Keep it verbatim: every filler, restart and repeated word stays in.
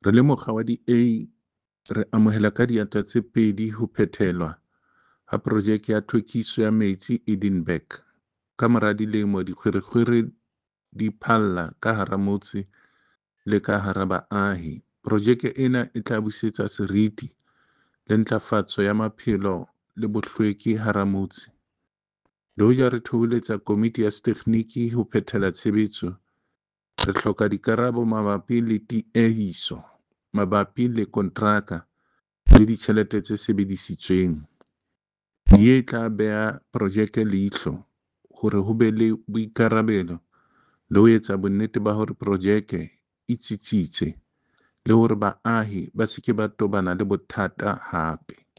Re le mokga wa D A re amohela ka diatla tse pedi ho phethelwa ha Projeke ya Tlhwekiso ya Metsi Edinburg kamora dilemo dikgwerekgwere di phalla ka hara motse le ka hara baahi. Projeke ena e tla busetsa seriti le ntlafatso ya maphelo le bohlweki hara motse. Le hoja re thoholetsa komiti ya setekgniki ho phethela tshebetso, re hloka dikarabo mabapi le tiehiso mabapi le kontraka le ditjhelete tse sebedisitsweng. D A e tla beha projeke leihlo hore ho be le boikarabelo le ho etsa bonnete ba hore projeke e tsitsitse le hore baahi ba se ke ba tobana le bothata hape.